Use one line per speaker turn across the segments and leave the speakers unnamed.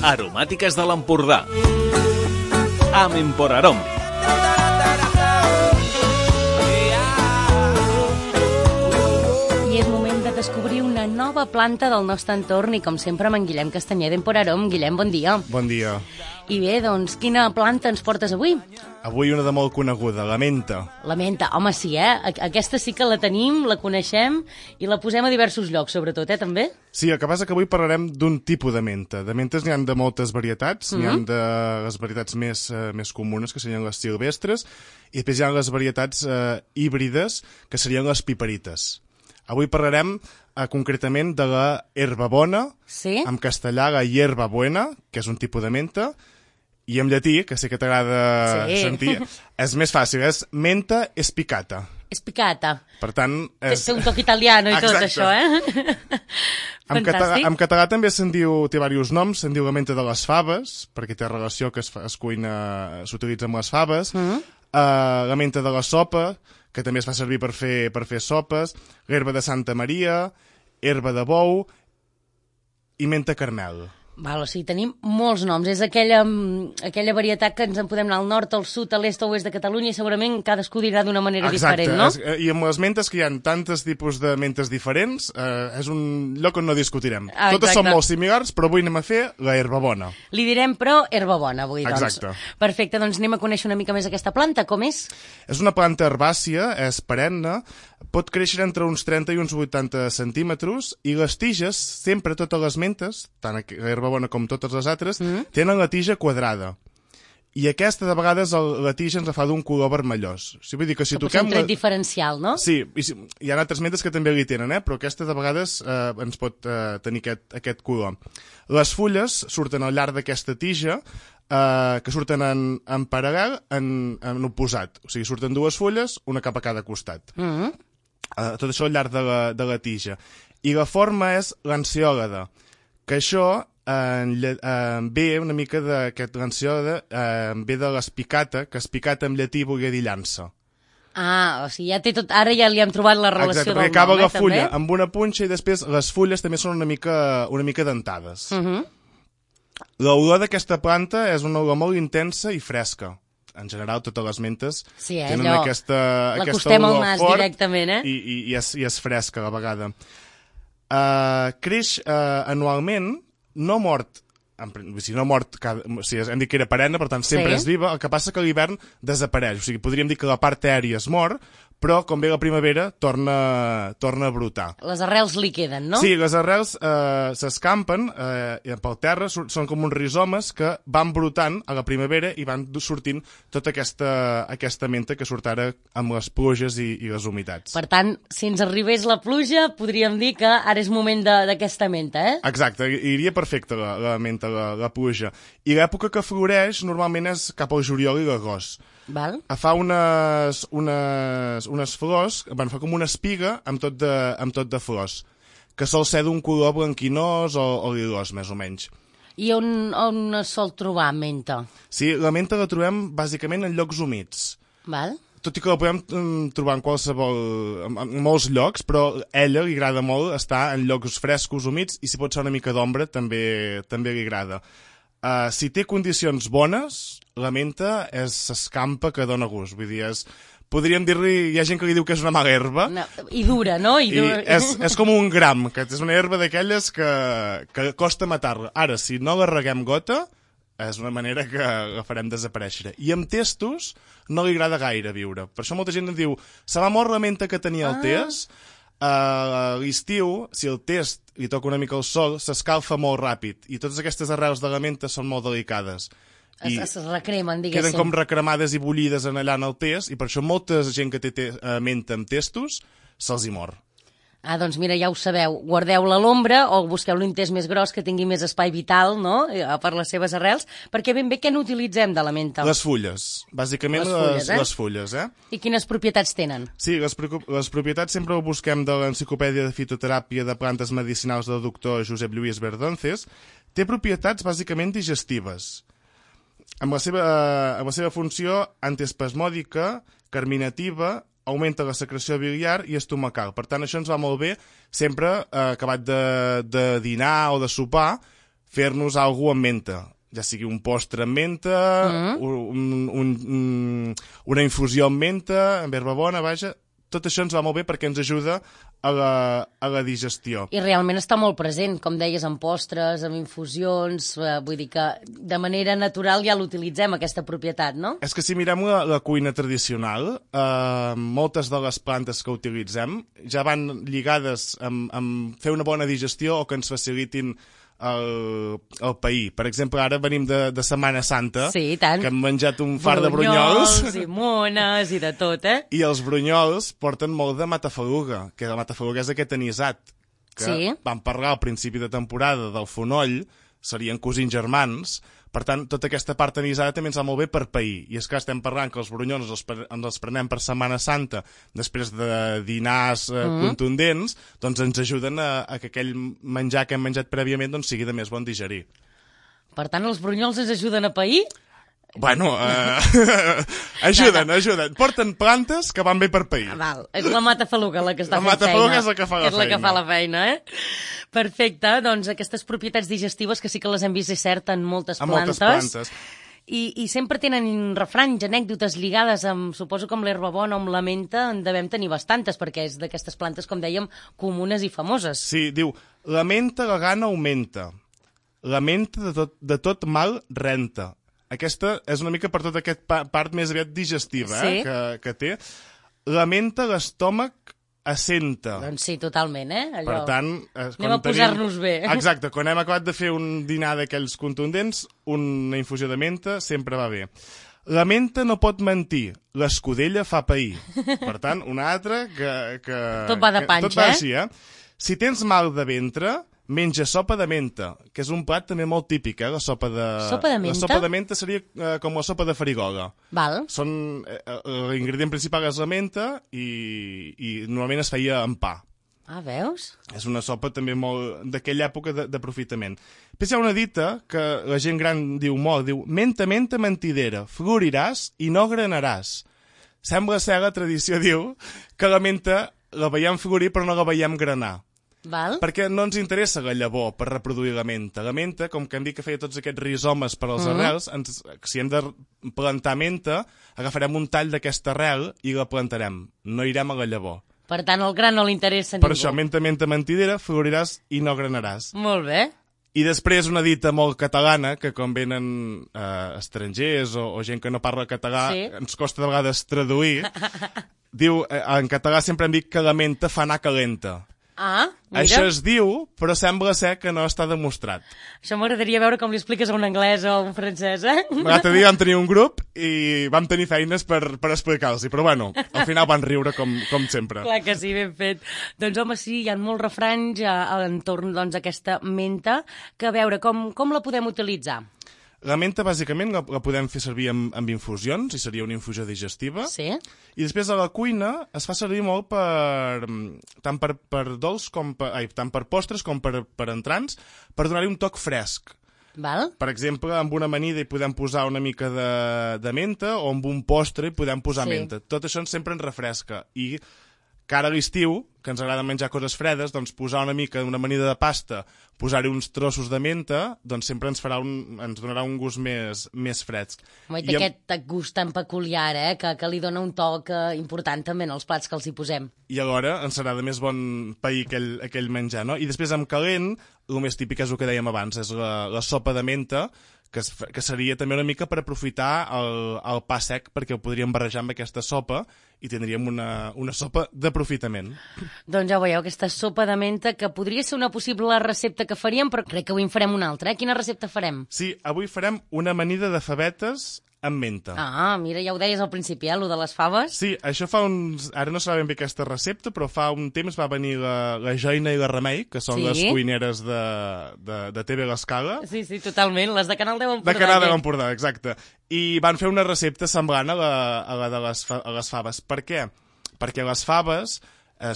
aromàtiques de l'Empordà. Amb Emporarom.
I és moment de descobrir una nova planta del nostre entorn i, com sempre, amb en Guillem Castanyer d'Emporarom. Guillem, bon dia.
Bon dia.
I bé, doncs, quina planta ens portes avui?
Avui una de molt coneguda, la menta.
La menta, home, sí, Aquesta sí que la tenim, la coneixem i la posem a diversos llocs, sobretot, també?
Sí, el que passa que avui parlarem d'un tipus de menta. De mentes n'hi ha de moltes varietats, n'hi ha de les varietats més comunes, que serien les silvestres, i després hi ha les varietats híbrides, que serien les piperites. Avui parlarem concretament de la herbabona,
sí?
En castellà la hierba buena, que és un tipus de menta, i en llatí, que sé que t'agrada sentir, és més fàcil, és menta espicata.
Espicata.
Per tant...
Té un toc italiano i tot això, Fantàstic.
En català també té diversos noms, se'n diu la menta de les faves, perquè té relació que es cuina, s'utilitza amb les faves, la menta de la sopa, que també es fa servir per fer sopes, l'herba de Santa Maria, herba de bou i menta carmel.
Val, o sigui, tenim molts noms. És aquella varietat que ens en podem anar al nord, al sud, a l'est o oest de Catalunya i segurament cadascú dirà d'una manera diferent, no?
I amb les mentes que hi ha tantes tipus de mentes diferents, és un lloc on no discutirem. Totes són molt similars, però avui anem a fer la herbabona.
Li direm, però, herbabona avui, doncs.
Exacte.
Perfecte, doncs anem a conèixer una mica més aquesta planta. Com és?
És una planta herbàcia, és perenne, pot créixer entre uns 30 i uns 80 centímetres i les tiges, sempre totes les mentes, tant l'herbabona com totes les altres, tenen la tija quadrada. I aquesta, de vegades, la tija ens la fa d'un color vermellós. O sigui, vull dir que si toquem...
Un tret diferencial, no?
Sí, hi ha altres mentes que també li tenen, però aquesta, de vegades, ens pot tenir aquest color. Les fulles surten al llarg d'aquesta tija, que surten en paral·lel, en oposat. O sigui, surten dues fulles, una cap a cada costat. Tot això al llarg de la tija. I la forma és lanceòlada, que això ve una mica d'aquest lanceòlada, ve de l'espicata, que espicata en llatí volia dir llança.
Ah, o sigui, ja té tot... Ara ja li hem trobat la relació del nom,
perquè acaba la fulla
també?
amb una punxa i després les fulles també són una mica dentades. L'olor d'aquesta planta és una olor molt intensa i fresca. En general, totes les mentes tenen aquesta olor
nas
fort
directament,
i és fresca a la vegada. Creix anualment, no mort, hem dit que era perenne, per tant sempre és viva, el que passa que a l'hivern desapareix, o sigui, podríem dir que la part aèria es mor, però com ve la primavera torna a brotar.
Les arrels li queden, no?
Sí, les arrels s'escampen pel terra, són com uns rizomes que van brotant a la primavera i van sortint tota aquesta menta que surt ara amb les pluges i les humitats.
Per tant, si ens arribés la pluja, podríem dir que ara és moment d'aquesta menta,
Exacte, iria perfecte la menta, la pluja. I l'època que floreix normalment és cap al juliol i l'agost.
Val.
Fa unes flors, fa com una espiga amb tot de flors, que sol ser d'un color blanquinós o lilós, més o menys.
I on es sol trobar menta?
Sí, la menta la trobem bàsicament en llocs humits.
Val.
Tot i que la podem trobar en molts llocs, però a ella li agrada molt estar en llocs frescos, humits, i si pot ser una mica d'ombra també li agrada. Si té condicions bones, la menta s'escampa que dona gust. Vull dir, podríem dir-li... Hi ha gent que li diu que és una mala herba.
No, i dura, no?
És com un gram, que és una herba d'aquelles que costa matar-la. Ara, si no la reguem gota, és una manera que la farem desaparèixer. I amb testos no li agrada gaire viure. Per això molta gent em diu, se m'ha mort la menta que tenia al test. A l'estiu, si el test li toca una mica el sol, s'escalfa molt ràpid i totes aquestes arrels de la menta són molt delicades.
Es recremen, diguéssim.
Queden com recremades i bullides allà en el test i per això molta gent que té menta amb testos se'ls hi mor.
Ah, doncs mira, ja ho sabeu, guardeu-la a l'ombra o busqueu un test més gros que tingui més espai vital, no?, per les seves arrels, perquè ben bé què n'utilitzem de la menta?
Les fulles, bàsicament les fulles,
I quines propietats tenen?
Sí, les propietats sempre ho busquem de l'Enciclopèdia de Fitoteràpia de Plantes Medicinals del doctor Josep Lluís Verdonces. Té propietats bàsicament digestives, amb la seva funció antiespasmòdica, carminativa, augmenta la secreció biliar i estomacal. Per tant, això ens va molt bé sempre acabat de dinar o de sopar, fer-nos alguna amb menta, ja sigui un postre amb menta, una infusió amb menta, amb herba bona, vaja. Tot això ens va molt bé perquè ens ajuda a la digestió.
I realment està molt present, com deies, en postres, en infusions, vull dir que de manera natural ja l'utilitzem, aquesta propietat, no?
És que si mirem la cuina tradicional, moltes de les plantes que utilitzem ja van lligades amb fer una bona digestió o que ens facilitin el pair. Per exemple, ara venim de Setmana Santa,
sí, tant.
Que hem menjat un fart de brunyols.
I mones i de tot,
I els brunyols porten molt de matafaluga, que la matafaluga és aquest anisat, que vam parlar al principi de temporada del fonoll, serien cosins germans. Per tant, tota aquesta part anisada també ens va molt bé per pair. I és que estem parlant que els brunyols ens els prenem per Setmana Santa després de dinars contundents, doncs ens ajuden a que aquell menjar que hem menjat prèviament doncs, sigui de més bon digerir.
Per tant, els brunyols ens ajuden a pair?
Bueno, ajuden. Porten plantes que van bé per pair.
Val. És la matafaluga la que està fent feina.
La matafaluga és la que fa la feina.
És la que fa la feina, Perfecte, doncs aquestes propietats digestives que sí que les hem vist, és cert, en moltes plantes. I sempre tenen refranys, anècdotes lligades amb, suposo que amb l'herba bona o amb la menta en devem tenir bastantes, perquè és d'aquestes plantes, com dèiem, comunes i famoses.
Sí, diu, la menta la gana augmenta, la menta de tot mal renta. Aquesta és una mica per tota aquesta part més aviat digestiva que té. La menta l'estómac assenta.
Doncs sí, totalment, Allò.
Per tant...
Anem a posar-nos bé.
Exacte, quan hem acabat de fer un dinar d'aquells contundents, una infusió de menta sempre va bé. La menta no pot mentir, l'escudella fa pair. Per tant, una altra que
tot va de panxa,
tot va així, Si tens mal de ventre, menja sopa de menta, que és un plat també molt típic, la sopa de...
Sopa de menta?
La sopa de menta seria com la sopa de farigola.
Val.
L'ingredient principal és la menta i normalment es feia amb pa.
Ah, veus?
És una sopa també molt d'aquella època d'aprofitament. Després hi ha una dita que la gent gran diu molt, diu menta, menta, mentidera, floriràs i no granaràs. Sembla ser la tradició, diu, que la menta la veiem florir però no la veiem granar.
Val.
Perquè no ens interessa la llavor per reproduir la menta. La menta, com que hem dit que feia tots aquests rizomes per als arrels, si hem de plantar menta, agafarem un tall d'aquesta arrel i la plantarem. No irem a la llavor.
Per tant, el gra no li interessa a ningú.
Per això, menta, menta, mentidera, floriràs i no granaràs.
Molt bé.
I després una dita molt catalana, que quan venen estrangers o gent que no parla català, ens costa de vegades traduir. Diu, en català sempre hem dit que la menta fa anar calenta.
Ah, mira.
Això es diu, però sembla ser que no està demostrat.
Això m'agradaria veure com li expliques a un anglès o a un francès,
L'altre dia vam tenir un grup i vam tenir feines per explicar-los, però bueno, al final van riure com sempre.
Clar que sí, ben fet. Doncs home, sí, hi ha molts refranys entorn d'aquesta menta, que a veure, com la podem utilitzar?
La menta, bàsicament, la podem fer servir amb infusions, i seria una infusió digestiva.
Sí.
I després a la cuina es fa servir molt tant per dolç tant per postres com per entrants, per donar-hi un toc fresc.
Val.
Per exemple, amb una amanida hi podem posar una mica de menta, o amb un postre hi podem posar menta. Tot això sempre ens refresca. I cara a l'estiu, que ens agrada menjar coses fredes, doncs posar una mica d'una amanida de pasta, posar-hi uns trossos de menta, doncs sempre ens donarà un gust més fresc.
Home, i té aquest gust tan peculiar, que li dona un toc important també en els plats que els hi posem.
I alhora ens serà de més bon pair aquell menjar, no? I després amb calent, el més típic és el que dèiem abans, és la sopa de menta, que seria també una mica per aprofitar el pa sec, perquè ho podríem barrejar amb aquesta sopa i tindríem una sopa d'aprofitament.
Doncs ja ho veieu, aquesta sopa de menta, que podria ser una possible recepta que faríem, però crec que avui en farem una altra. Quina recepta farem?
Sí, avui farem una amanida de favetes amb menta.
Ah, mira, ja ho deies al principi, lo de les faves.
Sí, això fa ara no sabem bé aquesta recepta, però fa un temps va venir la Joina i la Remei, que són les cuineres de TV l'Escala.
Sí, totalment, les de Canal 10 Empordà.
De Canal 10 Empordà, exacte. I van fer una recepta semblant a la de les faves. Per què? Perquè les faves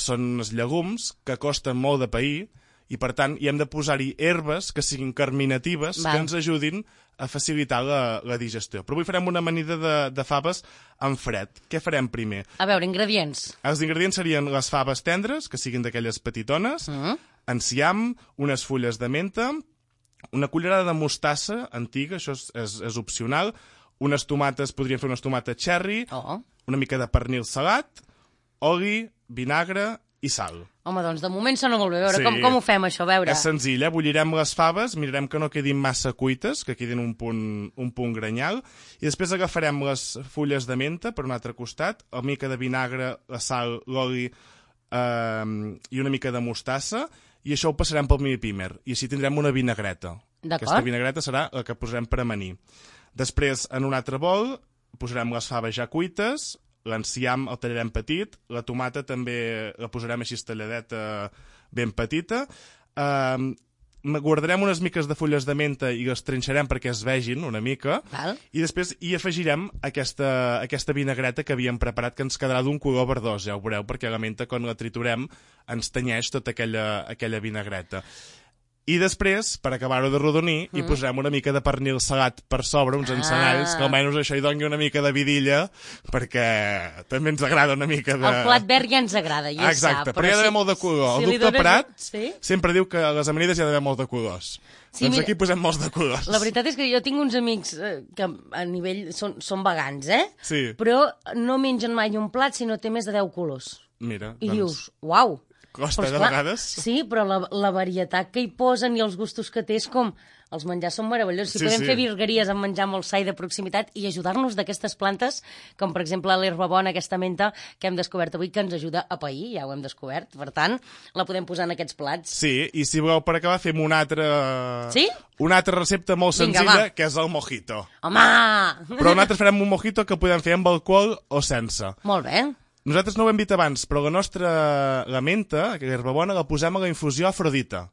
són uns llegums que costen molt de pair, i per tant hi hem de posar-hi herbes que siguin carminatives, que ens ajudin a facilitar la digestió. Però avui farem una amanida de faves en fred. Què farem primer?
A veure, ingredients.
Els ingredients serien les faves tendres, que siguin d'aquelles petitones, enciam, unes fulles de menta, una cullerada de mostassa antiga, això és opcional, unes tomates, podríem fer unes tomates cherry, una mica de pernil salat, oli, vinagre i sal.
Home, doncs de moment sona molt bé. A veure, com ho fem, això? A veure.
És senzill, bullirem les faves, mirarem que no quedin massa cuites, que quedin un punt granyal, i després agafarem les fulles de menta per un altre costat, una mica de vinagre, la sal, l'oli i una mica de mostassa, i això ho passarem pel mini pimer, i així tindrem una vinagreta. Aquesta vinagreta serà la que posarem per amanir. Després, en un altre bol, posarem les faves ja cuites, l'enciam el tallarem petit, la tomata també la posarem així talladeta ben petita, guardarem unes miques de fulles de menta i les trinxarem perquè es vegin una mica, i després hi afegirem aquesta vinagreta que havíem preparat, que ens quedarà d'un color verdós, ja ho veureu, perquè la menta quan la triturem ens tenyeix tota aquella vinagreta. I després, per acabar-ho de rodonir, hi posarem una mica de pernil salat per sobre, uns encenalls, que almenys això hi doni una mica de vidilla, perquè també ens agrada una mica de...
El plat verd ja ens agrada, ja sap.
Exacte, però hi ha d'haver molt de color. El doctor Prat sempre diu que a les amanides hi ha d'haver molt de colors. Doncs aquí posem molts de colors.
La veritat és que jo tinc uns amics que a nivell són vegans,
Sí.
Però no mengen mai un plat si no té més de 10 colors.
Mira,
I dius, uau!
Costa, de vegades.
Sí, però la varietat que hi posen i els gustos que té és com... Els menjars són meravellosos. Si podem fer virgueries amb menjar molt sa i de proximitat i ajudar-nos d'aquestes plantes, com per exemple l'herba bona, aquesta menta que hem descobert avui, que ens ajuda a pair, ja ho hem descobert. Per tant, la podem posar en aquests plats.
Sí, i si voleu per acabar fem una altra...
Sí?
Una altra recepta molt senzilla, que és el mojito.
Home!
Però nosaltres farem un mojito que podem fer amb alcohol o sense.
Molt bé.
Nosaltres no ho hem dit abans, però la menta, que és bona, la posem a la infusió Afrodita.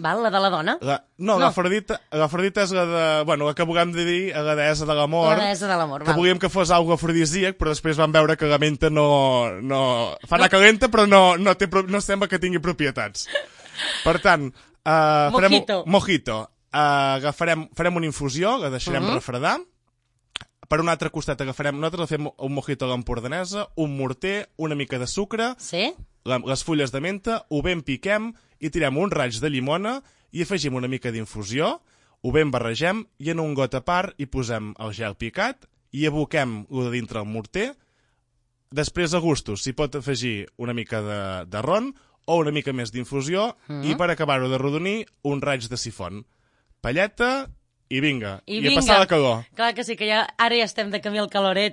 Val, la de la dona?
No, l'Afrodita és la de... Bueno, la que volem dir, la deessa de l'amor.
La deessa de l'amor,
que volíem que fos algo afrodisíac, però després vam veure que la menta no... Fa anar calenta, però no sembla que tingui propietats. Per tant, mojito. Farem una infusió, la deixarem refredar. Per un altre costat nosaltres fem un mojito a l'empordanesa, un morter, una mica de sucre, les fulles de menta, ho ben piquem i tirem un raig de llimona i afegim una mica d'infusió, ho ben barregem i en un got a part hi posem el gel picat i aboquem-ho de dintre el morter. Després, a gustos, s'hi pot afegir una mica de ron o una mica més d'infusió i per acabar-ho de rodonir, un raig de sifon. Palleta... I vinga, i a passar la calor.
Clar que sí, que ara ja estem de camí al caloret,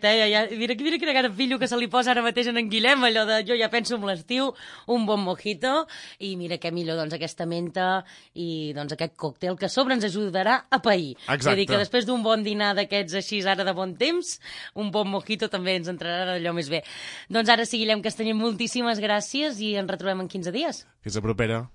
Mira quina cara pillo que se li posa ara mateix en Guillem, allò de jo ja penso en l'estiu, un bon mojito, i mira què millor, doncs, aquesta menta i doncs aquest còctel que a sobre ens ajudarà a pair.
Exacte.
Vull dir que després d'un bon dinar d'aquests així ara de bon temps, un bon mojito també ens entrarà d'allò més bé. Doncs ara sí, Guillem Castanyer, moltíssimes gràcies i ens retrobem en 15 dies.
Fins a propera.